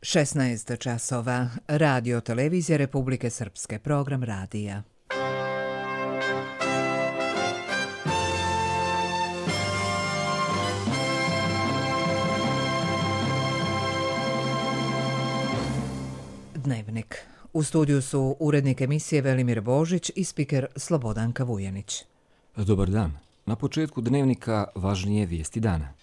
16 časova. Radio televizija Republike Srpske. Program radija. Dnevnik. U studiju su urednik emisije Velimir Božić i spiker Slobodanka Vujanić. Dobar dan. Na početku dnevnika važnije vijesti dana.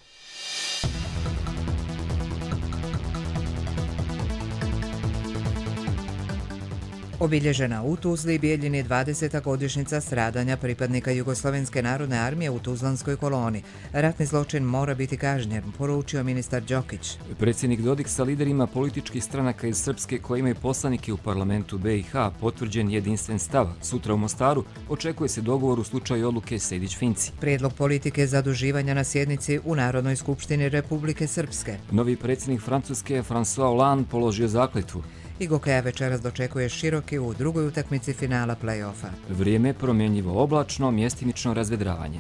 Obilježena u Tuzli i Bijeljini 20. godišnjica stradanja pripadnika Jugoslovenske narodne armije u Tuzlanskoj koloni. Ratni zločin mora biti kažnjen, poručio ministar Đokić. Predsjednik Dodik sa liderima političkih stranaka iz Srpske koji imaju poslanike u parlamentu BiH potvrđen jedinstven stav. Sutra u Mostaru očekuje se dogovor u slučaju odluke Sejdić-Finci. Prijedlog politike zaduživanja na sjednici u Narodnoj skupštini Republike Srpske. Novi predsjednik Francuske François Hollande položio zakletvu. I Gokeja večeras dočekuje Široki u drugoj utakmici finala play-offa. Vrijeme promjenjivo oblačno, mjestimično razvedravanje.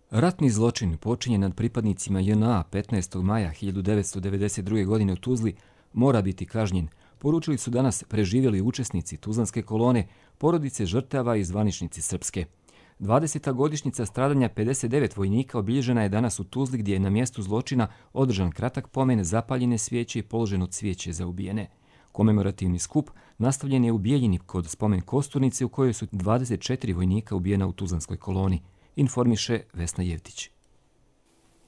Ratni zločin počinjen nad pripadnicima JNA 15. maja 1992. godine u Tuzli mora biti kažnjen, poručili su danas preživjeli učesnici Tuzlanske kolone, porodice žrtava i zvaničnici Srpske. 20. godišnjica stradanja 59 vojnika obilježena je danas u Tuzli gdje je na mjestu zločina održan kratak pomen, zapaljene svijeće i položeno cvijeće za ubijene. Komemorativni skup nastavljen je u Bijeljini kod spomen kosturnice u kojoj su 24 vojnika ubijena u Tuzlanskoj koloni, informiše Vesna Jevtić.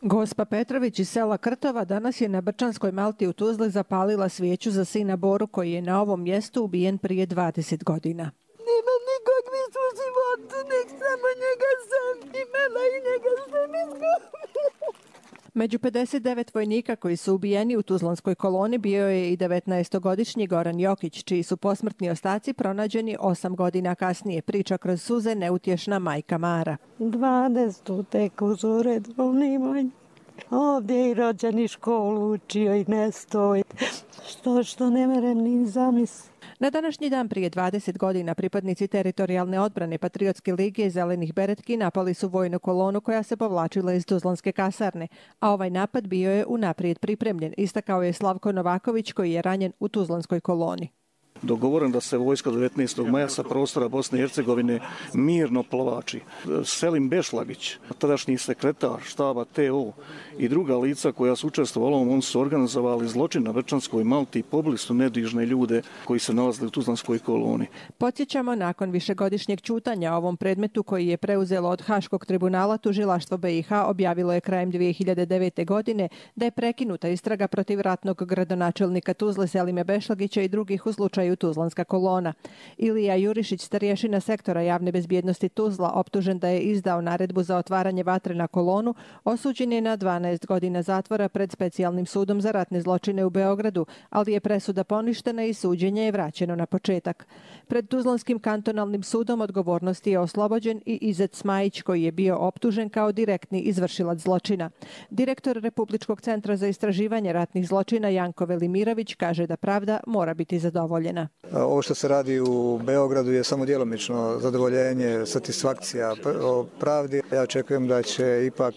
Gospa Petrović iz sela Krtova danas je na Brčanskoj Malti u Tuzli zapalila svijeću za sina Boru koji je na ovom mjestu ubijen prije 20 godina. Nema nikakvih u životu, nek samo njega sam imala i njega sam izgubila. Među 59 vojnika koji su ubijeni u Tuzlanskoj koloni bio je i 19-godišnji Goran Jokić, čiji su posmrtni ostaci pronađeni 8 godina kasnije, priča kroz suze neutješna majka Mara. 12 tek uz uredovni moj. Ovdje i rođeni školu učio i ne stoji. Što ne merem ni zamisliti. Na današnji dan prije 20 godina pripadnici teritorijalne odbrane Patriotske lige i Zelenih beretki napali su vojnu kolonu koja se povlačila iz Tuzlanske kasarne, a ovaj napad bio je unaprijed pripremljen, istakao je Slavko Novaković koji je ranjen u Tuzlanskoj koloni. Dogovoren da se vojska 19. maja sa prostora Bosne i Hercegovine mirno povlači. Selim Bešlagić, tadašnji sekretar štaba TO i druga lica koja su učestvovala, oni su organizovali zločin na Brčanskoj Malti i pobili su nedužne ljude koji se nalazili u Tuzlanskoj koloni. Podsjećamo, nakon višegodišnjeg ćutanja o ovom predmetu koji je preuzelo od Haškog tribunala, tužilaštvo BiH objavilo je krajem 2009. godine da je prekinuta istraga protiv ratnog gradonačelnika Tuzle Selime Bešlagića i drugih u slučaju Tuzlanska kolona. Ilija Jurišić, starješina sektora javne bezbjednosti Tuzla, optužen da je izdao naredbu za otvaranje vatre na kolonu, osuđen je na 12 godina zatvora pred specijalnim sudom za ratne zločine u Beogradu, ali je presuda poništena i suđenje je vraćeno na početak. Pred Tuzlanskim kantonalnim sudom odgovornosti je oslobođen i Izet Smajić koji je bio optužen kao direktni izvršilac zločina. Direktor Republičkog centra za istraživanje ratnih zločina Janko Velimirović kaže da pravda mora biti zadovoljena. Ovo što se radi u Beogradu je samo djelomično zadovoljenje, satisfakcija o pravdi. Ja očekujem da će ipak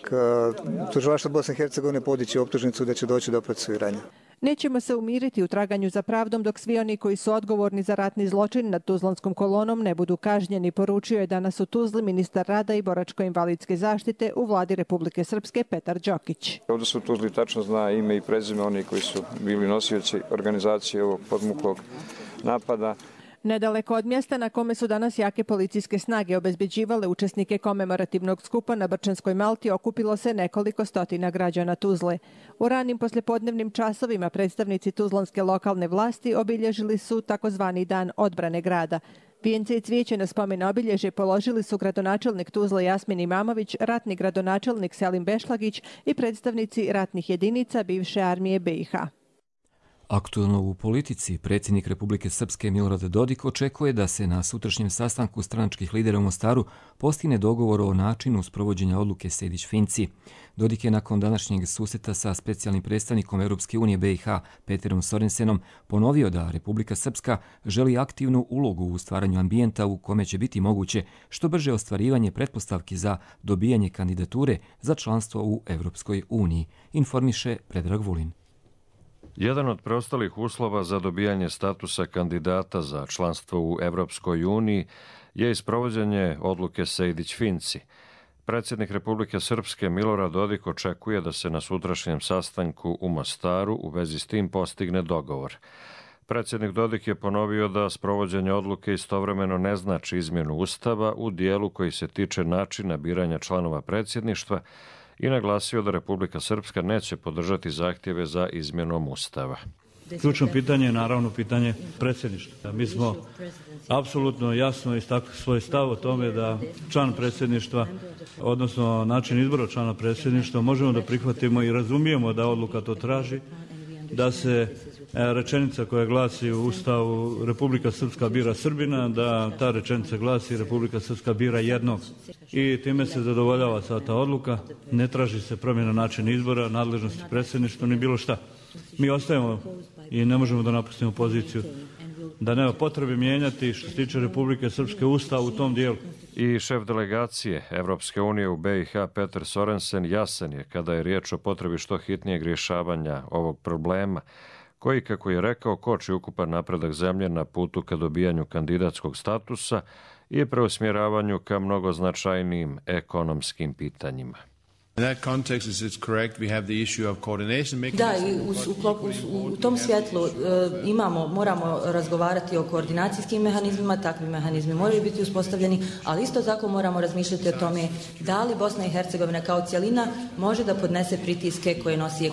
tužilaštvo Bosne i Hercegovine podići optužnicu da će doći do procesuiranja. Nećemo se umiriti u traganju za pravdom dok svi oni koji su odgovorni za ratni zločin nad Tuzlanskom kolonom ne budu kažnjeni, poručio je danas u Tuzli ministar rada i boračko-invalidske zaštite u vladi Republike Srpske Petar Đokić. Ovdje se u Tuzli tačno zna ime i prezime oni koji su bili nosioci organizacije ovog podmuklog napada. Nedaleko od mjesta na kome su danas jake policijske snage obezbeđivale učesnike komemorativnog skupa na Brčanskoj Malti okupilo se nekoliko stotina građana Tuzle. U ranim poslijepodnevnim časovima predstavnici tuzlanske lokalne vlasti obilježili su takozvani dan odbrane grada. Vijence i cvijeće na spomen obilježje položili su gradonačelnik Tuzle Jasmin Imamović, ratni gradonačelnik Selim Bešlagić i predstavnici ratnih jedinica bivše armije BiH. Aktualno u politici, predsjednik Republike Srpske Milorad Dodik očekuje da se na sutrašnjem sastanku stranačkih lidera u Mostaru postigne dogovor o načinu sprovođenja odluke Sejdić-Finci. Dodik je nakon današnjeg susreta sa specijalnim predstavnikom Europske unije BiH Peterom Sorensenom ponovio da Republika Srpska želi aktivnu ulogu u stvaranju ambijenta u kome će biti moguće što brže ostvarivanje pretpostavki za dobijanje kandidature za članstvo u Europskoj uniji, informiše Predrag Vulin. Jedan od preostalih uslova za dobijanje statusa kandidata za članstvo u Evropskoj uniji je isprovođenje odluke Sejdić-Finci. Predsjednik Republike Srpske Milorad Dodik očekuje da se na sutrašnjem sastanku u Mostaru u vezi s tim postigne dogovor. Predsjednik Dodik je ponovio da sprovođenje odluke istovremeno ne znači izmjenu Ustava u dijelu koji se tiče načina biranja članova predsjedništva i naglasio da Republika Srpska neće podržati zahtjeve za izmjenom Ustava. Ključno pitanje je naravno pitanje predsjedništva. Mi smo apsolutno jasno istakli svoj stav o tome da član predsjedništva, odnosno način izbora člana predsjedništva, možemo da prihvatimo i razumijemo da odluka to traži, da se rečenica koja glasi u Ustavu Republika Srpska bira Srbina, da ta rečenica glasi Republika Srpska bira jednog. I time se zadovoljava sva ta odluka, ne traži se promjena načina izbora, nadležnosti predsjedništva, ni bilo šta. Mi ostajemo i ne možemo da napustimo poziciju da nema potrebe mijenjati što se tiče Republike Srpske Ustav u tom dijelu. I šef delegacije Evropske unije u BiH Peter Sorensen jasan je kada je riječ o potrebi što hitnijeg rješavanja ovog problema, koji, kako je rekao, koči ukupan napredak zemlje na putu ka dobijanju kandidatskog statusa i preusmjeravanju ka mnogo značajnijim ekonomskim pitanjima. Da, i u tom svjetlu moramo razgovarati o koordinacijskim mehanizmima, takvi mehanizmi moraju biti uspostavljeni, ali isto tako moramo razmišljati o tome da li Bosna i Hercegovina kao cjelina može da podnese pritiske koje nosi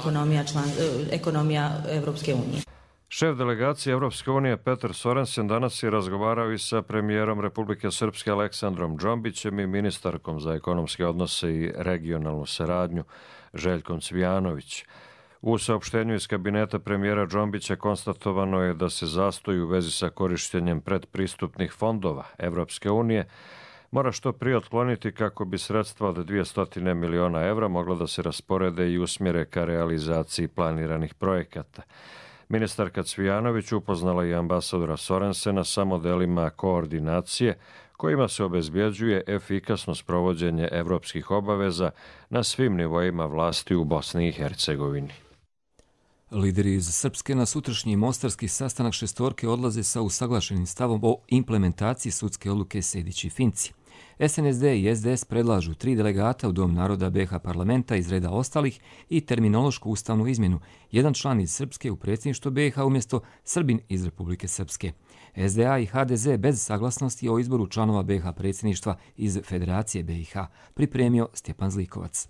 ekonomija Evropske unije. Šef delegacije Evropske unije Peter Sorensen danas je razgovarao i sa premijerom Republike Srpske Aleksandrom Džombićem i ministarkom za ekonomske odnose i regionalnu saradnju Željkom Cvijanović. U saopštenju iz kabineta premijera Džombića konstatovano je da se zastoj u vezi sa korištenjem predpristupnih fondova Evropske unije mora što prije otkloniti kako bi sredstva od 200 miliona evra mogla da se rasporede i usmjere ka realizaciji planiranih projekata. Ministarka Cvijanović upoznala i ambasadora Sorensena sa modelima koordinacije kojima se obezbjeđuje efikasno sprovođenje evropskih obaveza na svim nivoima vlasti u Bosni i Hercegovini. Lideri iz Srpske na sutrašnji mostarski sastanak šestorke odlaze sa usaglašenim stavom o implementaciji sudske odluke Sejdić-Finci. SNSD i SDS predlažu 3 delegata u Dom naroda BiH parlamenta iz reda ostalih i terminološku ustavnu izmjenu, jedan član iz Srpske u predsjedništvo BiH umjesto Srbin iz Republike Srpske. SDA i HDZ bez saglasnosti o izboru članova BiH predsjedništva iz Federacije BiH, pripremio Stjepan Zlikovac.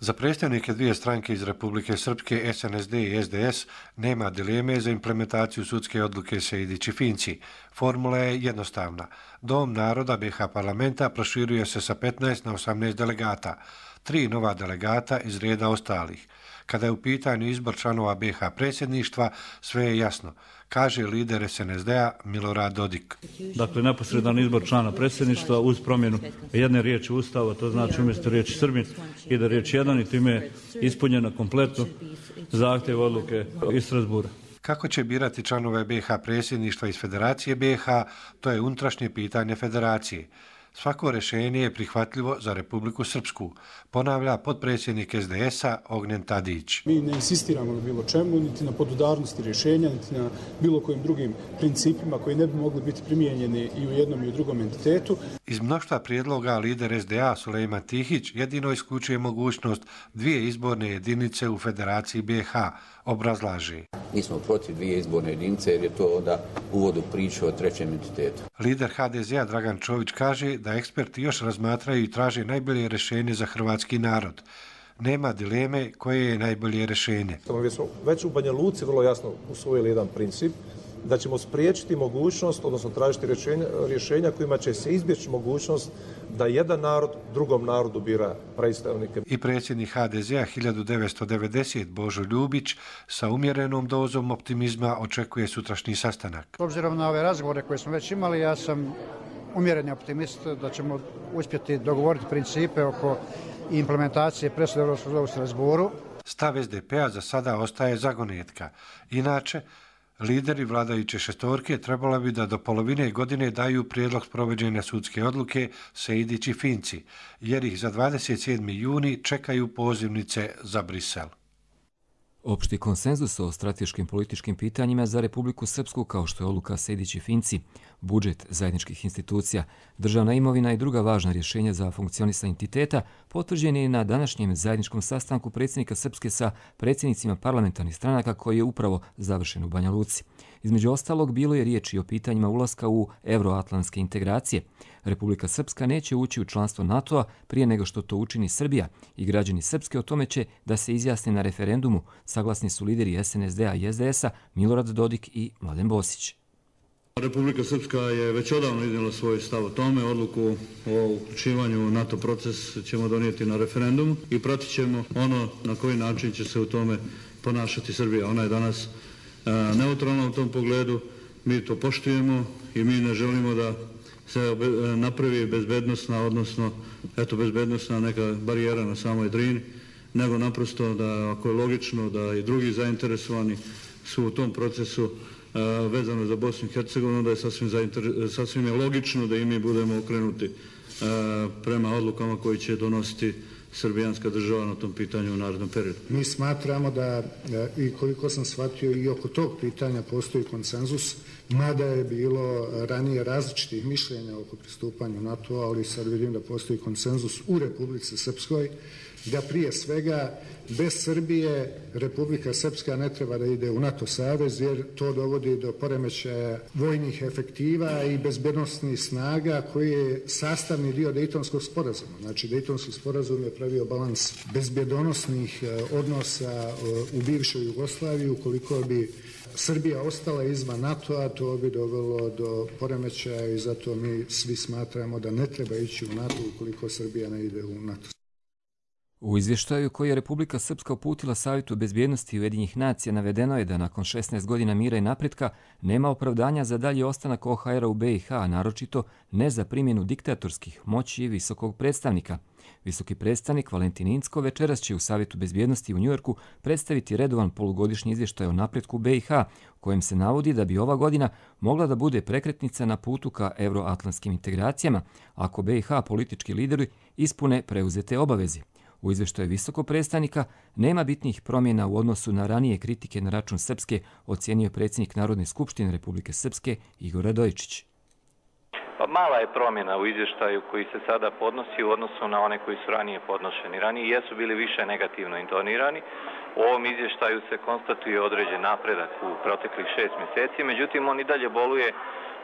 Za predstavnike dvije stranke iz Republike Srpske, SNSD i SDS, nema dileme za implementaciju sudske odluke Sejdić-Finci. Formula je jednostavna. Dom naroda BiH parlamenta proširuje se sa 15 na 18 delegata, 3 nova delegata iz reda ostalih. Kada je u pitanju izbor članova BiH predsjedništva, sve je jasno, kaže lider SNSD-a Milorad Dodik. Dakle, neposredan izbor člana predsjedništva uz promjenu jedne riječi Ustava, to znači umjesto riječi Srbin ide riječ jedan i time je ispunjena kompletno zahtjev odluke iz Strasbura. Kako će birati članove BiH predsjedništva iz Federacije BiH, to je unutrašnje pitanje Federacije. Svako rješenje je prihvatljivo za Republiku Srpsku, ponavlja potpredsjednik SDS-a Ognjen Tadić. Mi ne insistiramo na bilo čemu, niti na podudarnosti rješenja, niti na bilo kojim drugim principima koji ne bi mogli biti primijenjeni i u jednom i u drugom entitetu. Iz mnoštva prijedloga lider SDA Sulejman Tihić jedino isključuje mogućnost 2 izborne jedinice u Federaciji BiH, obrazlaže. Mi smo protiv 2 izborne jedinice jer je to onda uvod u priču o trećem entitetu. Lider HDZ-a Dragan Čović kaže da eksperti još razmatraju i traže najbolje rješenje za hrvatski narod. Nema dileme koje je najbolje rješenje. Već u Banja Luci vrlo jasno usvojili jedan princip da ćemo spriječiti mogućnost, odnosno tražiti rješenja kojima će se izbjeći mogućnost da jedan narod drugom narodu bira predstavnike. I predsjednik HDZ-a 1990 Božo Ljubić sa umjerenom dozom optimizma očekuje sutrašnji sastanak. S obzirom na ove razgovore koje smo već imali, ja sam umjereni optimist da ćemo uspjeti dogovoriti principe oko implementacije presude Europskog suda u Strasbourgu. Stav SDP-a za sada ostaje zagonetka. Inače, lideri vladajuće šestorke trebalo bi da do polovine godine daju prijedlog provođenja sudske odluke Sejdić i Finci, jer ih za 27. juni čekaju pozivnice za Brisel. Opšti konsenzus o strateškim političkim pitanjima za Republiku Srpsku, kao što je odluka Sejdić i Finci, budžet zajedničkih institucija, državna imovina i druga važna rješenja za funkcionisanje entiteta, potvrđen je na današnjem zajedničkom sastanku predsjednika Srpske sa predsjednicima parlamentarnih stranaka koji je upravo završen u Banja Luci. Između ostalog, bilo je riječi o pitanjima ulaska u euroatlantske integracije. Republika Srpska neće ući u članstvo NATO-a prije nego što to učini Srbija i građani Srpske o tome će da se izjasne na referendumu, saglasni su lideri SNSD-a i SDS-a Milorad Dodik i Mladen Bosić. Republika Srpska je već odavno iznijela svoj stav o tome. Odluku o uključivanju u NATO proces ćemo donijeti na referendumu i pratit ćemo ono na koji način će se u tome ponašati Srbija. Ona je danas neutralna u tom pogledu, mi to poštujemo i mi ne želimo da se napravi bezbednosna, odnosno bezbednosna neka barijera na samoj Drini, nego naprosto da ako je logično da i drugi zainteresovani su u tom procesu vezano za Bosnu i Hercegovinu, onda je sasvim je logično da i mi budemo okrenuti prema odlukama koji će donositi srbijanska država na tom pitanju u narednom periodu. Mi smatramo da, i koliko sam shvatio, i oko tog pitanja postoji konsenzus, mada je bilo ranije različitih mišljenja oko pristupanja NATO, ali sad vidim da postoji konsenzus u Republici Srpskoj, da prije svega bez Srbije Republika Srpska ne treba da ide u NATO savez, jer to dovodi do poremećaja vojnih efektiva i bezbednosnih snaga koji je sastavni dio Dejtonskog sporazuma. Znači, Dejtonski sporazum je pravio balans bezbednosnih odnosa u bivšoj Jugoslaviji. Ukoliko bi Srbija ostala izvan NATO-a, to bi dovelo do poremećaja i zato mi svi smatramo da ne treba ići u NATO ukoliko Srbija ne ide u NATO. U izvještaju koji je Republika Srpska uputila Savjetu bezbjednosti Ujedinjenih nacija navedeno je da nakon 16 godina mira i napretka nema opravdanja za dalji ostanak OHR-a u BiH, naročito ne za primjenu diktatorskih moći i visokog predstavnika. Visoki predstavnik Valentin Incko večeras će u Savjetu bezbjednosti u Njujorku predstaviti redovan polugodišnji izvještaj o napretku BiH, u kojem se navodi da bi ova godina mogla da bude prekretnica na putu ka euroatlantskim integracijama, ako BiH politički lideri ispune preuzete obaveze. U izvještaju visokog predstavnika nema bitnih promjena u odnosu na ranije kritike na račun Srpske, ocijenio je predsjednik Narodne skupštine Republike Srpske Igor Radojičić. Pa mala je promjena u izvještaju koji se sada podnosi u odnosu na one koji su ranije podnošeni. Ranije jesu bili više negativno intonirani. U ovom izvještaju se konstatuje određen napredak u proteklih 6 mjeseci, međutim on i dalje boluje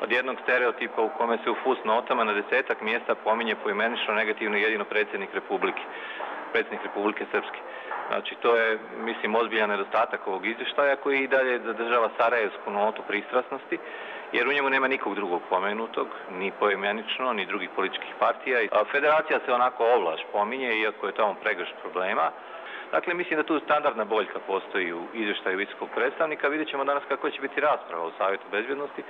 od jednog stereotipa u kome se u fusnotama na 10-ak mjesta pominje poimenično negativno jedino predsjednik Republike Srpske. Znači, to je, mislim, ozbiljan nedostatak ovog izvještaja koji i dalje zadržava sarajevsku notu pristrasnosti, jer u njemu nema nikog drugog pomenutog, ni poimenično, ni drugih političkih partija. Federacija se onako ovlaš pominje, iako je tamo pregršt problema. Dakle, mislim da tu standardna boljka postoji u izvještaju visokog predstavnika. Vidjet ćemo danas kako će biti rasprava u Savjetu bezbjednosti,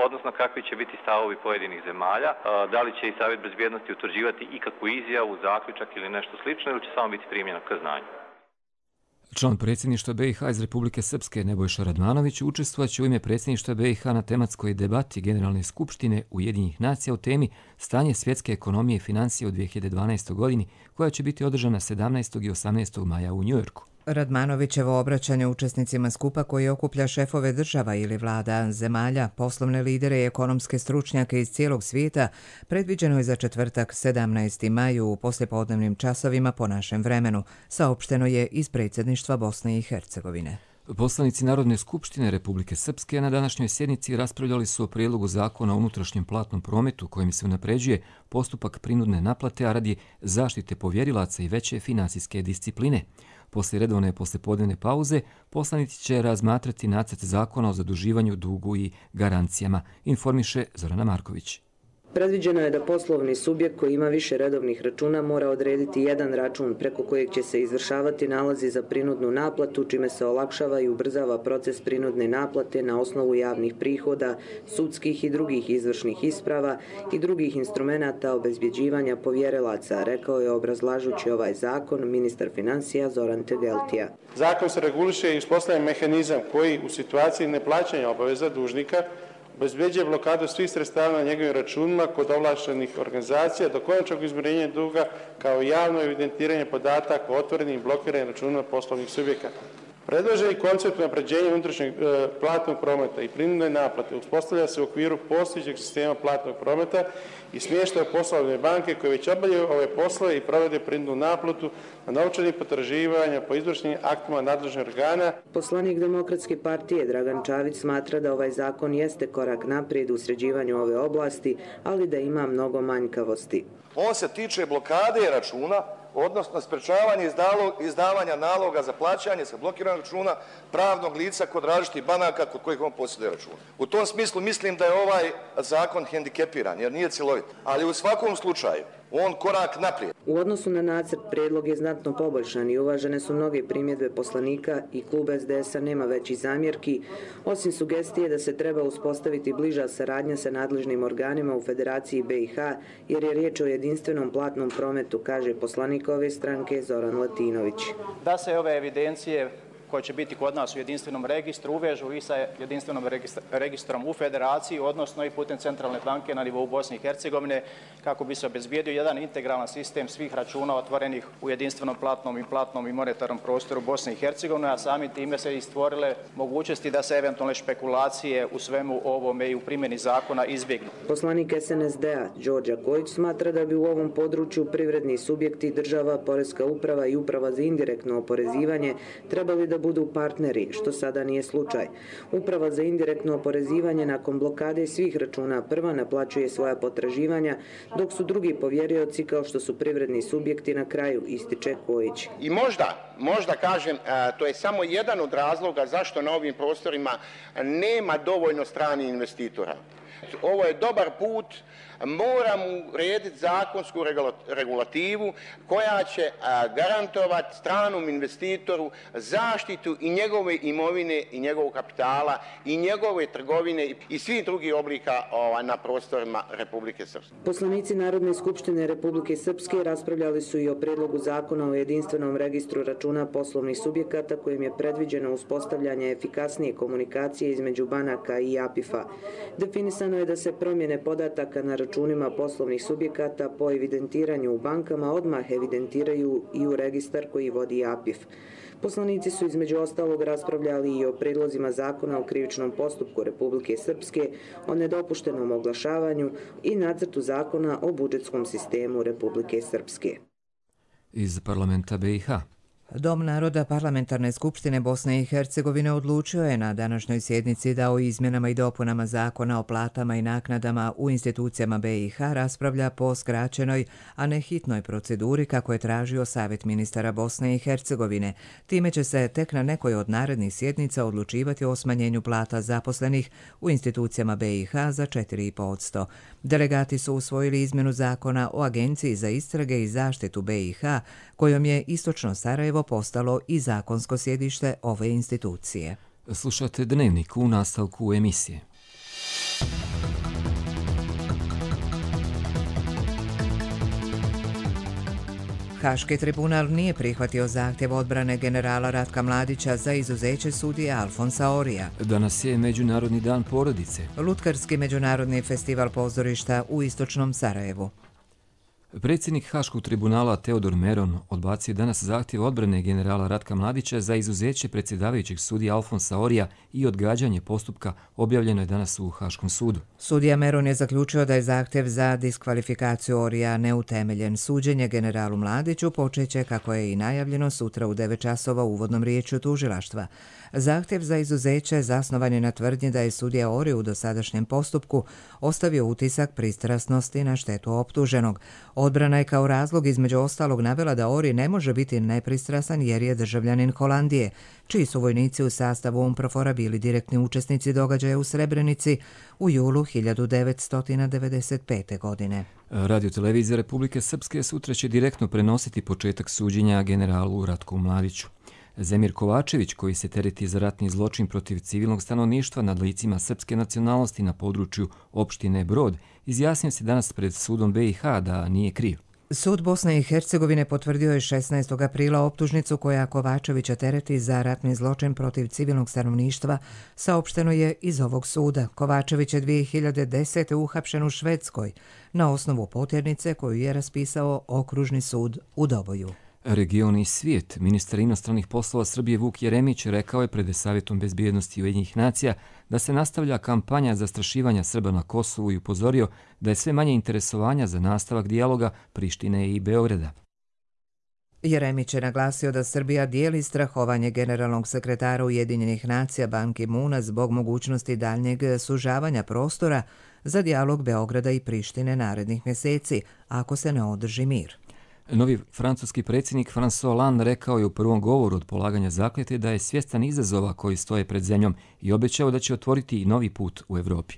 odnosno kakvi će biti stavovi pojedinih zemalja. Da li će i Savjet bezbjednosti utvrđivati ikakvu izjavu, zaključak ili nešto slično, ili će samo biti primljeno k znanju. Član predsjedništva BiH iz Republike Srpske Nebojša Radmanović učestvovaće u ime predsjedništva BiH na tematskoj debati Generalne skupštine Ujedinjenih nacija o temi Stanje svjetske ekonomije i financije u 2012. godini, koja će biti održana 17. i 18. maja u Njujorku. Radmanovićevo obraćanje učesnicima skupa koji okuplja šefove država ili vlada zemalja, poslovne lidere i ekonomske stručnjake iz cijelog svijeta predviđeno je za četvrtak 17. maju u poslijepodnevnim časovima po našem vremenu, saopšteno je iz predsjedništva Bosne i Hercegovine. Poslanici Narodne skupštine Republike Srpske na današnjoj sjednici raspravljali su o prijedlogu zakona o unutrašnjem platnom prometu kojim se unapređuje postupak prinudne naplate, a radi zaštite povjerilaca i veće finansijske discipline. Poslije redovne poslijepodnevne pauze poslanici će razmatrati nacrt zakona o zaduživanju, dugu i garancijama, informiše Zorana Marković. Predviđeno je da poslovni subjekt koji ima više redovnih računa mora odrediti jedan račun preko kojeg će se izvršavati nalozi za prinudnu naplatu, čime se olakšava i ubrzava proces prinudne naplate na osnovu javnih prihoda, sudskih i drugih izvršnih isprava i drugih instrumenata obezbjeđivanja povjerilaca, rekao je obrazlažući ovaj zakon ministar financija Zoran Tegeltija. Zakon se reguliše i uspostavlja mehanizam koji u situaciji neplaćanja obaveza dužnika obezbeđuje blokadu svih sredstava na njegovim računima kod ovlaštenih organizacija do konačnog izmirenja duga kao javno evidentiranje podataka o otvorenim i blokiranim računima poslovnih subjekata. Predloženi koncept unapređenja unutrašnjeg platnog prometa i prinudne naplate uspostavlja se u okviru postojećeg sistema platnog prometa i smještaja poslovne banke koje već obavljaju ove poslove i provode prinudnu naplatu na novčanih potraživanja po izvršnim aktima nadležnih organa. Poslanik Demokratske partije Dragan Čavić smatra da ovaj zakon jeste korak naprijed u sređivanju ove oblasti, ali da ima mnogo manjkavosti. On se tiče blokade računa, odnosno sprečavanje izdavanja naloga za plaćanje sa blokiranog računa pravnog lica kod različitih banaka kod kojih on posjeduje račun. U tom smislu mislim da je ovaj zakon hendikepiran jer nije cjelovit, ali u svakom slučaju on korak naprijed. U odnosu na nacrt prijedlog je znatno poboljšan i uvažene su mnoge primjedbe poslanika i klub SDS-a nema većih zamjerki, osim sugestije da se treba uspostaviti bliža saradnja sa nadležnim organima u Federaciji BiH jer je riječ o jedinstvenom platnom prometu, kaže poslanik ove stranke Zoran Latinović. Da se ove evidencije koje će biti kod nas u jedinstvenom registru uvežu i sa jedinstvenom registrom u Federaciji, odnosno i putem centralne banke na nivou Bosne i Hercegovine, kako bi se obezbijedio jedan integralan sistem svih računa otvorenih u jedinstvenom platnom i monetarnom prostoru Bosne i Hercegovine, a samim time se i stvorile mogućnosti da se eventualne špekulacije u svemu ovome i u primjeni zakona izbjegnu. Poslanik SNSD-a Đorđa Kojić smatra da bi u ovom području privredni subjekti, država, Poreska uprava i Uprava za indirektno oporezivanje trebali da budu partneri, što sada nije slučaj. Uprava za indirektno oporezivanje nakon blokade svih računa prva naplaćuje svoja potraživanja, dok su drugi povjerioci kao što su privredni subjekti na kraju, ističe Kojić. I možda kažem, to je samo jedan od razloga zašto na ovim prostorima nema dovoljno stranih investitora. Ovo je dobar put, moramo urediti zakonsku regulativu koja će garantovati stranom investitoru zaštitu i njegove imovine i njegovog kapitala i njegove trgovine i svih drugih oblika na prostorima Republike Srpske. Poslanici Narodne skupštine Republike Srpske raspravljali su i o prijedlogu zakona o jedinstvenom registru računa poslovnih subjekata kojim je predviđeno uspostavljanje efikasnije komunikacije između banaka i APIF-a. Definisano je da se promjene podataka na računima poslovnih subjekata po evidentiranju u bankama odmah evidentiraju i u registar koji vodi APIF. Poslanici su između ostalog raspravljali i o prijedlozima zakona o krivičnom postupku Republike Srpske, o nedopuštenom oglašavanju i nacrtu zakona o budžetskom sistemu Republike Srpske. Iz parlamenta BiH. Dom naroda Parlamentarne skupštine Bosne i Hercegovine odlučio je na današnjoj sjednici da o izmjenama i dopunama zakona o platama i naknadama u institucijama BiH raspravlja po skraćenoj, a ne hitnoj proceduri kako je tražio Savjet ministara Bosne i Hercegovine. Time će se tek na nekoj od narednih sjednica odlučivati o smanjenju plata zaposlenih u institucijama BiH za 4,5%. Delegati su usvojili izmjenu zakona o Agenciji za istrage i zaštitu BiH, kojom je Istočno Sarajevo postalo i zakonsko sjedište ove institucije. Slušate Dnevnik u nastavku emisije. Haški tribunal nije prihvatio zahtjev odbrane generala Ratka Mladića za izuzeće sudije Alfonsa Orija. Danas je Međunarodni dan porodice. Lutkarski međunarodni festival pozorišta u Istočnom Sarajevu. Predsjednik Haškog tribunala Teodor Meron odbacio danas zahtjev odbrane generala Ratka Mladića za izuzeće predsjedavajućeg sudija Alfonsa Orija i odgađanje postupka objavljeno je danas u Haškom sudu. Sudija Meron je zaključio da je zahtjev za diskvalifikaciju Orija neutemeljen. Suđenje generalu Mladiću počeće, kako je i najavljeno, sutra u 9 časova uvodnom riječju tužilaštva. Zahtjev za izuzeće zasnovan je na tvrdnji da je sudija Ori u dosadašnjem postupku ostavio utisak pristrasnosti na štetu optuženog. Odbrana je kao razlog između ostalog navela da Ori ne može biti nepristrasan jer je državljanin Holandije, čiji su vojnici u sastavu UNPROFOR-a bili direktni učesnici događaja u Srebrenici u julu 1995. godine. Radio-televizija Republike Srpske sutra će direktno prenositi početak suđenja generalu Ratku Mladiću. Zemir Kovačević, koji se tereti za ratni zločin protiv civilnog stanovništva nad licima srpske nacionalnosti na području opštine Brod, izjasnio se danas pred sudom BiH da nije kriv. Sud Bosne i Hercegovine potvrdio je 16. aprila optužnicu koja Kovačevića tereti za ratni zločin protiv civilnog stanovništva, saopšteno je iz ovog suda. Kovačević je 2010. uhapšen u Švedskoj na osnovu potjernice koju je raspisao Okružni sud u Doboju. Region i svijet. Ministar inostranih poslova Srbije Vuk Jeremić rekao je pred Savjetom bezbjednosti Ujedinjenih nacija da se nastavlja kampanja zastrašivanja Srba na Kosovu i upozorio da je sve manje interesovanja za nastavak dijaloga Prištine i Beograda. Jeremić je naglasio da Srbija dijeli strahovanje generalnog sekretara Ujedinjenih nacija Ban Ki-moona zbog mogućnosti daljnjeg sužavanja prostora za dijalog Beograda i Prištine narednih mjeseci, ako se ne održi mir. Novi francuski predsjednik François Hollande rekao je u prvom govoru od polaganja zakletve da je svjestan izazova koji stoje pred zemljom i obećao da će otvoriti i novi put u Evropi.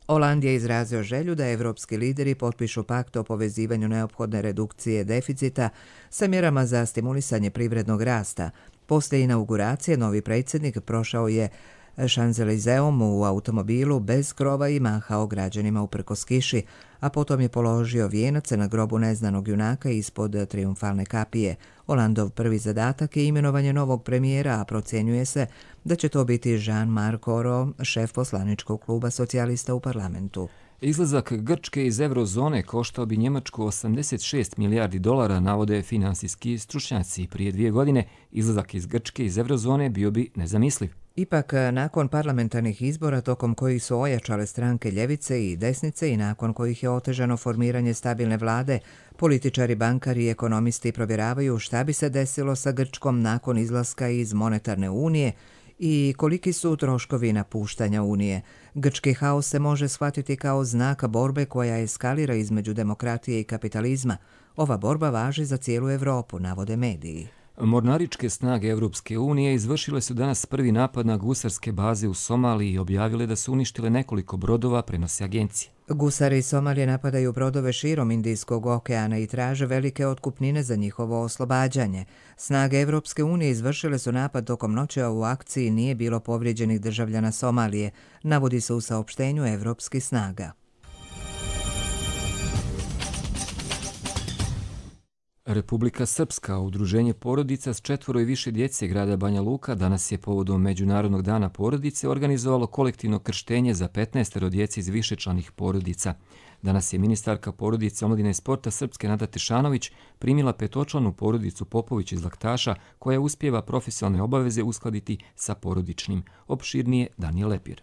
Hollande je izrazio želju da evropski lideri potpišu pakt o povezivanju neophodne redukcije deficita sa mjerama za stimulisanje privrednog rasta. Poslije inauguracije novi predsjednik prošao je Šanzelizeom u automobilu bez krova i mahao građanima uprkos kiši, a potom je položio vijenac na grobu neznanog junaka ispod trijumfalne kapije. Hollandov prvi zadatak je imenovanje novog premijera, a procjenjuje se da će to biti Jean-Marc Ayrault, šef poslaničkog kluba socijalista u parlamentu. Izlazak Grčke iz eurozone koštao bi Njemačku 86 milijardi dolara, navode finansijski stručnjaci. Prije 2 godine izlazak iz Grčke iz eurozone bio bi nezamisliv. Ipak, nakon parlamentarnih izbora tokom kojih su ojačale stranke ljevice i desnice i nakon kojih je otežano formiranje stabilne vlade, političari, bankari i ekonomisti provjeravaju šta bi se desilo sa Grčkom nakon izlaska iz monetarne unije i koliki su troškovi napuštanja unije. Grčki haos se može shvatiti kao znak borbe koja eskalira između demokratije i kapitalizma. Ova borba važi za cijelu Evropu, navode mediji. Mornaričke snage Evropske unije izvršile su danas prvi napad na gusarske baze u Somaliji i objavile da su uništile nekoliko brodova, prenosi agencije. Gusari iz Somalije napadaju brodove širom Indijskog okeana i traže velike otkupnine za njihovo oslobađanje. Snage Evropske unije izvršile su napad tokom noći, a u akciji nije bilo povrijeđenih državljana Somalije, navodi se u saopštenju evropskih snaga. Republika Srpska, udruženje porodica s 4 i više djece grada Banja Luka, danas je povodom Međunarodnog dana porodice organizovalo kolektivno krštenje za 15 djece iz višečlanih porodica. Danas je ministarka porodice, omladine i sporta Srpske Nada Tešanović primila 5-članu porodicu Popović iz Laktaša koja uspijeva profesionalne obaveze uskladiti sa porodičnim. Opširnije Danijel Lepir.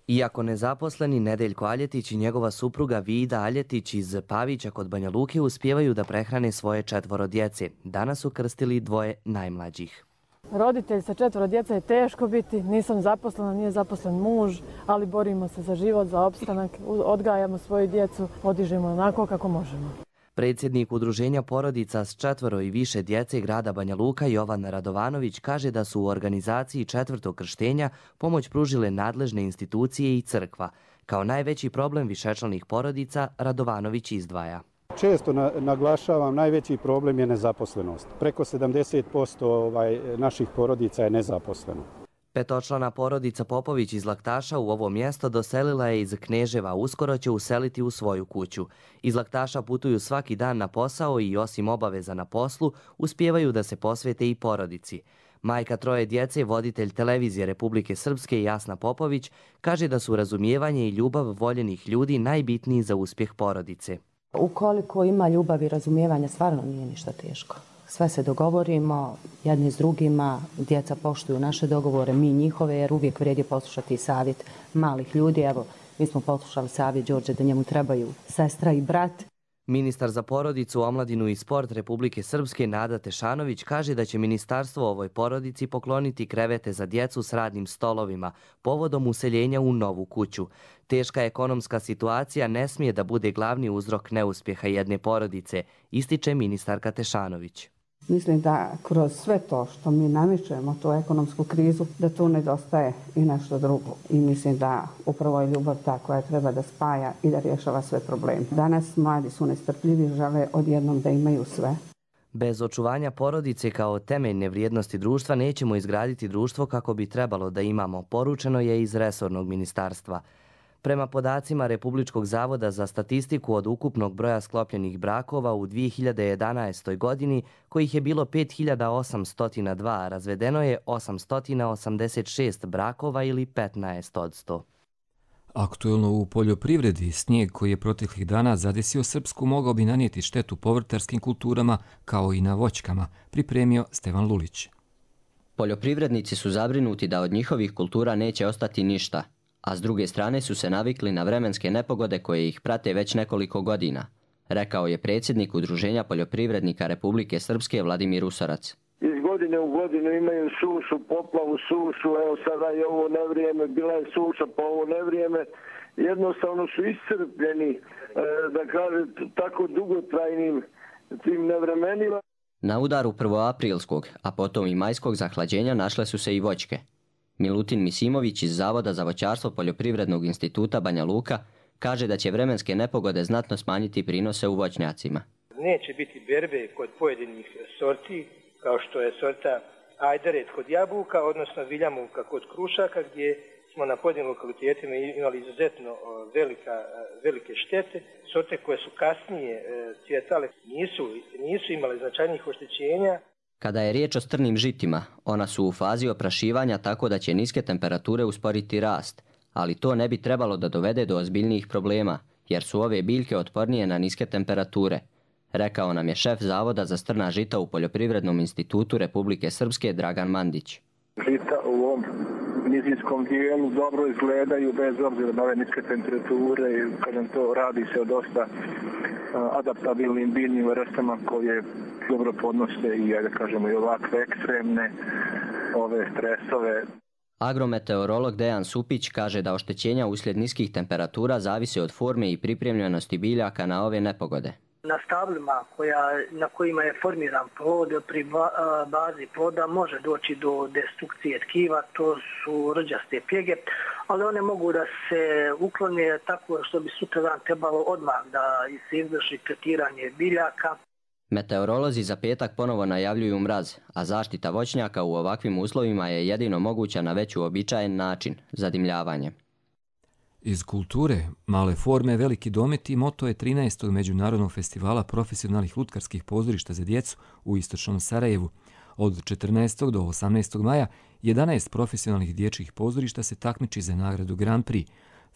Iako nezaposleni, Nedeljko Aljetić i njegova supruga Vida Aljetić iz Pavića kod Banja Luke uspijevaju da prehrane svoje 4 djece. Danas su krstili 2 najmlađih. Roditelj sa 4 djece je teško biti, nisam zaposlena, nije zaposlen muž, ali borimo se za život, za opstanak, odgajamo svoju djecu, podižemo onako kako možemo. Predsjednik udruženja porodica s 4 i više djece grada Banja Luka Jovan Radovanović kaže da su u organizaciji 4. krštenja pomoć pružile nadležne institucije i crkva. Kao najveći problem višečlanih porodica Radovanović izdvaja. Često naglašavam, najveći problem je nezaposlenost. Preko 70% naših porodica je nezaposleno. 5-člana porodica Popović iz Laktaša u ovo mjesto doselila je iz Kneževa, uskoro će useliti u svoju kuću. Iz Laktaša putuju svaki dan na posao i osim obaveza na poslu, uspijevaju da se posvete i porodici. Majka 3 djece, voditelj televizije Republike Srpske Jasna Popović, kaže da su razumijevanje i ljubav voljenih ljudi najbitniji za uspjeh porodice. Ukoliko ima ljubavi i razumijevanja, stvarno nije ništa teško. Sve se dogovorimo, jedni s drugima, djeca poštuju naše dogovore, mi njihove, jer uvijek vrijedi poslušati savjet malih ljudi. Evo, mi smo poslušali savjet Đorđe da njemu trebaju sestra i brat. Ministar za porodicu, omladinu i sport Republike Srpske Nada Tešanović kaže da će ministarstvo ovoj porodici pokloniti krevete za djecu s radnim stolovima povodom useljenja u novu kuću. Teška ekonomska situacija ne smije da bude glavni uzrok neuspjeha jedne porodice, ističe ministarka Tešanović. Mislim da kroz sve to što mi namičemo, tu ekonomsku krizu, da tu nedostaje i nešto drugo. I mislim da upravo je ljubav ta koja treba da spaja i da rješava sve probleme. Danas mladi su nestrpljivi, žele odjednom da imaju sve. Bez očuvanja porodice kao temeljne vrijednosti društva nećemo izgraditi društvo kako bi trebalo da imamo, poručeno je iz resornog ministarstva. Prema podacima Republičkog zavoda za statistiku, od ukupnog broja sklopljenih brakova u 2011. godini, kojih je bilo 5802, razvedeno je 886 brakova ili 15%. Aktuelno u poljoprivredi, snijeg koji je proteklih dana zadesio Srpsku mogao bi nanijeti štetu povrtarskim kulturama kao i na voćkama, pripremio Stevan Lulić. Poljoprivrednici su zabrinuti da od njihovih kultura neće ostati ništa, a s druge strane su se navikli na vremenske nepogode koje ih prate već nekoliko godina, rekao je predsjednik Udruženja poljoprivrednika Republike Srpske Vladimir Usorac. Iz godine u godinu imaju sušu, poplavu, sušu, evo sada je ovo nevrijeme, bila je suša po ovo nevrijeme, jednostavno su iscrpljeni, da kažem, tako dugotrajnim tim nevremenima. Na udaru prvoaprilskog, a potom i majskog zahlađenja našle su se i voćke. Milutin Misimović iz Zavoda za voćarstvo Poljoprivrednog instituta Banja Luka kaže da će vremenske nepogode znatno smanjiti prinose u voćnjacima. Neće biti berbe kod pojedinih sorti, kao što je sorta Ajdaret kod jabuka, odnosno Viljamovka kod krušaka, gdje smo na pojedinim lokalitetima imali izuzetno velike štete. Sorte koje su kasnije cvjetale nisu imale značajnih oštećenja. Kada je riječ o strnim žitima, ona su u fazi oprašivanja tako da će niske temperature usporiti rast, ali to ne bi trebalo da dovede do ozbiljnijih problema, jer su ove biljke otpornije na niske temperature, rekao nam je šef Zavoda za strna žita u Poljoprivrednom institutu Republike Srpske Dragan Mandić. Žita u ovom nizinskom dijelu dobro izgledaju bez obzira na ove niske temperature i kada to radi se o dosta adaptabilnim biljnim vrstama koje dobro podnose i, da kažemo, i ovakve ekstremne ove stresove. Agrometeorolog Dejan Supić kaže da oštećenja uslijed niskih temperatura zavise od forme i pripremljenosti biljaka na ove nepogode. Na stablima na kojima je formiran plod, pri bazi ploda može doći do destrukcije tkiva, to su rđaste pjege, ali one mogu da se uklone tako što bi sutradan trebalo odmah da se izvrši tretiranje biljaka. Meteorolozi za petak ponovo najavljuju mraz, a zaštita voćnjaka u ovakvim uslovima je jedino moguća na već uobičajen način, zadimljavanje. Iz kulture, male forme, veliki dometi moto je 13. Međunarodnog festivala profesionalnih lutkarskih pozorišta za djecu u istočnom Sarajevu. Od 14. do 18. maja 11 profesionalnih dječjih pozorišta se takmiči za nagradu Grand Prix.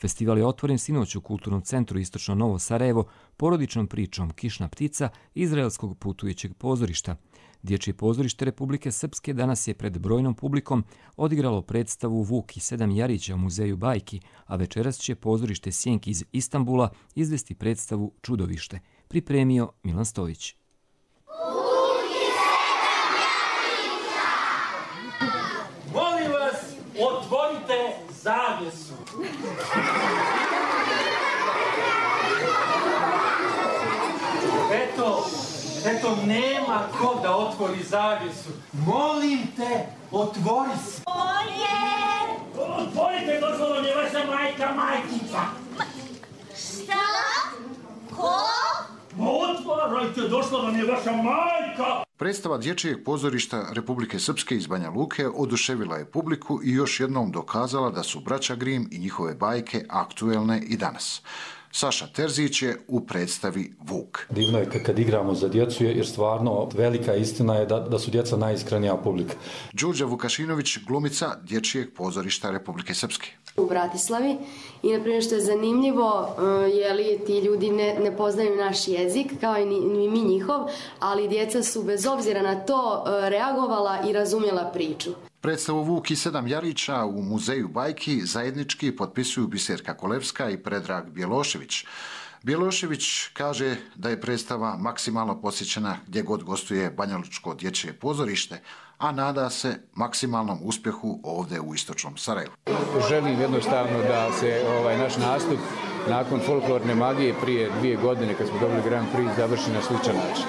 Festival je otvoren sinoć u Kulturnom centru Istočno Novo Sarajevo porodičnom pričom Kišna ptica izraelskog putujućeg pozorišta. Dječje pozorište Republike Srpske danas je pred brojnom publikom odigralo predstavu Vuk i 7 jarića u muzeju bajki, a večeras će pozorište Sjenki iz Istanbula izvesti predstavu Čudovište. Pripremio Milan Stojić. Molim vas, otvorite zavjesu. Eto, nema ko da otvori zavjesu. Molim te, otvori se. Otvorite, došla vam je vaša majkica. Šta? Ko? Otvarajte, došla vam je vaša majka. Predstava Dječjeg pozorišta Republike Srpske iz Banja Luke oduševila je publiku i još jednom dokazala da su braća Grim i njihove bajke aktuelne i danas. Saša Terzić je u predstavi Vuk. Divno je kad igramo za djecu, jer stvarno velika istina je da su djeca najiskrenija publika. Đurđa Vukašinović, glumica Dječjeg pozorišta Republike Srpske. U Bratislavi i na primjer što je zanimljivo je li ti ljudi ne poznaju naš jezik kao i mi njihov, ali djeca su bez obzira na to reagovala i razumjela priču. Predstavu Vuk i 7 jarića u Muzeju bajki zajednički potpisuju Biserka Kolevska i Predrag Bjelošević. Bjelošević kaže da je predstava maksimalno posjećena gdje god gostuje Banjalučko dječje pozorište, a nada se maksimalnom uspjehu ovdje u istočnom Sarajevu. Želim jednostavno da se naš nastup nakon folklorne magije prije 2 godine kad smo dobili Grand Prix završi na sličan način.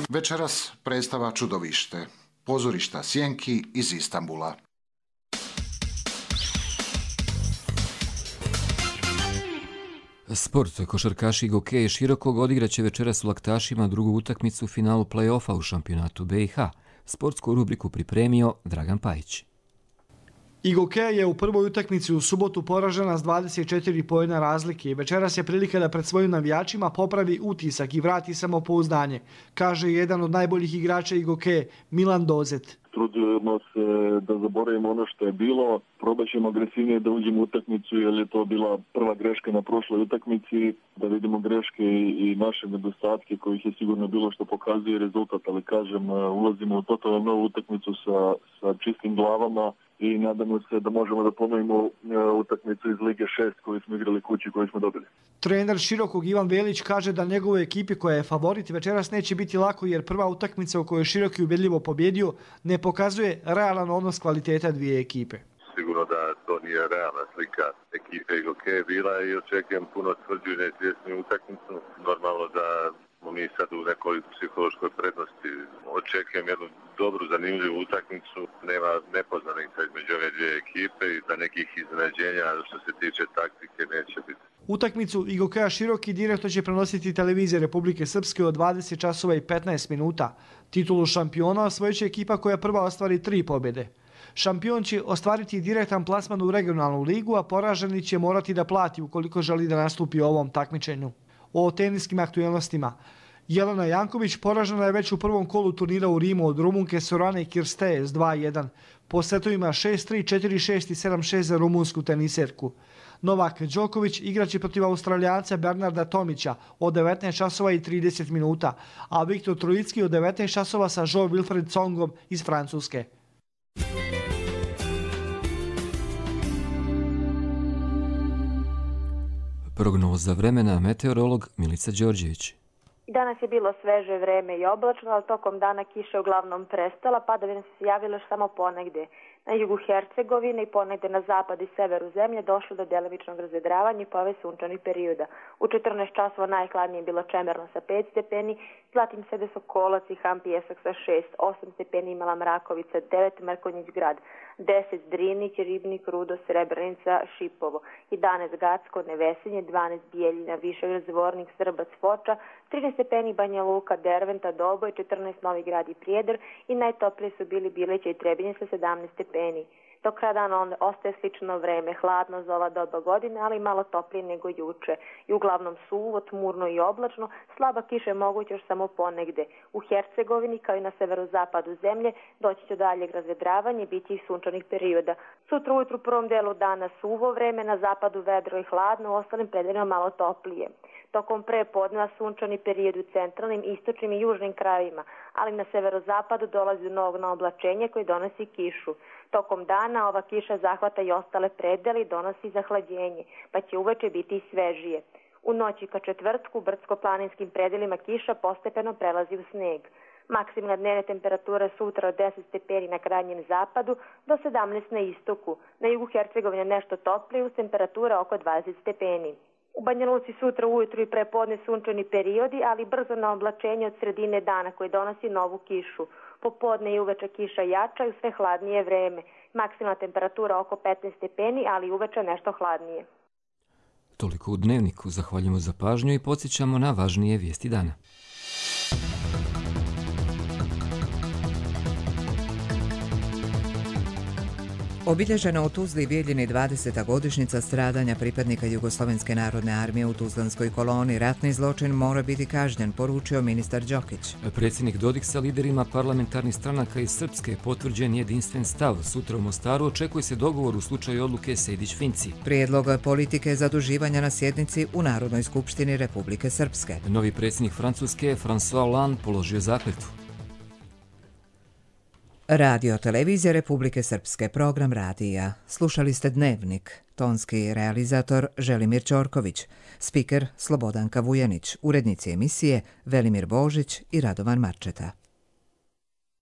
Večeras predstava Čudovište, pozorišta Sjenki iz Istanbula. Sport, košarkaši Gokeje Širokog odigraće večeras u Laktašima drugu utakmicu u finalu play-offa u šampionatu BiH. Sportsku rubriku pripremio Dragan Pajić. Gokeja je u prvoj utakmici u subotu poražena s 24 poena razlike i večeras je prilika da pred svojim navijačima popravi utisak i vrati samopouzdanje, kaže jedan od najboljih igrača Gokeje, Milan Dozet. Trudimo se da zaboravimo ono što je bilo, probat ćemo agresivnije da uđemo u utakmicu jer je to bila prva greška na prošloj utakmici, da vidimo greške i naše nedostatke kojih je sigurno bilo što pokazuje rezultat, ali kažem, ulazimo u totalno novu utakmicu sa čistim glavama i nadamo se da možemo da ponovimo utakmicu iz Lige 6 koju smo igrali kući koju smo dobili. Trener Širokog Ivan Velić kaže da njegovoj ekipi koja je favorit večeras neće biti lako jer prva utakmica u kojoj je Široki ubedljivo pobjedio ne pokazuje realan odnos kvaliteta dvije ekipe. Sigurno da to nije realna slika ekipe Gokeje bila i očekujem puno tvrđu i neizvjesniju utakmicu. Normalno da smo mi sad u nekoj psihološkoj prednosti. Očekujem jednu dobru, zanimljivu utakmicu. Nema nepoznanica između ove dvije ekipe i da nekih iznenađenja što se tiče taktike neće biti. Utakmicu Gokeja Široki direktno će prenositi televizija Republike Srpske od 20 časova i 15 minuta. Titulu šampiona osvojit će ekipa koja prva ostvari 3 pobjede. Šampion će ostvariti direktan plasman u regionalnu ligu, a poraženi će morati da plati ukoliko želi da nastupi u ovom takmičenju. O teniskim aktualnostima. Jelena Janković poražena je već u prvom kolu turnira u Rimu od Rumunke Sorane Kirsteje s 2-1. Po setovima 6-3, 4-6 i 7-6 za rumunsku teniserku. Novak Đoković igraće protiv Australijanca Bernarda Tomića od 19 časova i 30 minuta, a Viktor Trojicki od 19 časova sa Jo Wilfried Tsongom iz Francuske. Prognoza vremena, meteorolog Milica Đorđević. Danas je bilo sveže vreme i oblačno, ali tokom dana kiša uglavnom prestala, padavine su se javile samo ponegde. Na jugu Hercegovine i ponegde na zapad i severu zemlje došlo do delimičnog razvedravanja i pojave sunčanih perioda. U 14 časova najhladnije je bilo Čemerno sa 5 stepeni, zatim Sede Sokolac i Han Pijesak sa 6, 8 stepeni imala Mrakovica, 9 Mrkonjić grad, 10 Drinić, Ribnik, Rudo, Srebrenica, Šipovo, 11 Gacko, Nevesinje, 12 Bijeljina, Višegrad, Zvornik, Srbac, Foča, 13 stepeni Banja Luka, Derventa, Doboj, 14 Novi Grad i Prijedor i najtoplije su bili Bileća i Trebinje sa 17 stepeni. Do kraja dana ostaje slično vreme, hladno za ova doba godine, ali malo toplije nego juče. I uglavnom suvo, tmurno i oblačno, slaba kiša je moguća još samo ponegde. U Hercegovini, kao i na severozapadu zemlje, doći će do daljeg razvedravanja i biti i sunčanih perioda. Sutra ujutru u prvom delu dana suvo vreme, na zapadu vedro i hladno, u ostalim predelima malo toplije. Tokom prepodneva sunčani period u centralnim, istočnim i južnim krajevima, ali na severozapadu dolazi do novog naoblačenja koji donosi kišu. Tokom dana ova kiša zahvata i ostale predele i donosi zahlađenje, pa će uveče biti i svežije. U noći ka četvrtku u brdsko-planinskim predelima kiša postepeno prelazi u sneg. Maksimalna dnevna temperatura sutra od 10 stepeni na krajnjem zapadu do 17 na istoku. Na jugu Hercegovine nešto toplije uz temperatura oko 20 stepeni. U Banja Luci sutra ujutru i prepodne sunčani periodi, ali brzo na oblačenje od sredine dana koji donosi novu kišu. Popodne i uveče kiša jača i sve hladnije vreme. Maksimalna temperatura oko 15 stepeni, ali uveče nešto hladnije. Toliko u Dnevniku. Zahvaljujemo za pažnju i podsjećamo na važnije vijesti dana. Obilježena u Tuzli i Bijeljini 20. godišnjica stradanja pripadnika Jugoslovenske narodne armije u Tuzlanskoj koloni. Ratni zločin mora biti kažnjen, poručio ministar Đokić. Predsjednik Dodik sa liderima parlamentarnih stranaka iz Srpske potvrđen jedinstven stav. Sutra u Mostaru očekuje se dogovor u slučaju odluke Sejdić-Finci. Prijedlog politike zaduživanja na sjednici u Narodnoj skupštini Republike Srpske. Novi predsjednik Francuske, François Hollande, položio zakletvu. Radio televizija Republike Srpske, program radija. Slušali ste Dnevnik. Tonski realizator Želimir Ćorković. Spiker Slobodanka Vujanić. Urednici emisije Velimir Božić i Radovan Marčeta.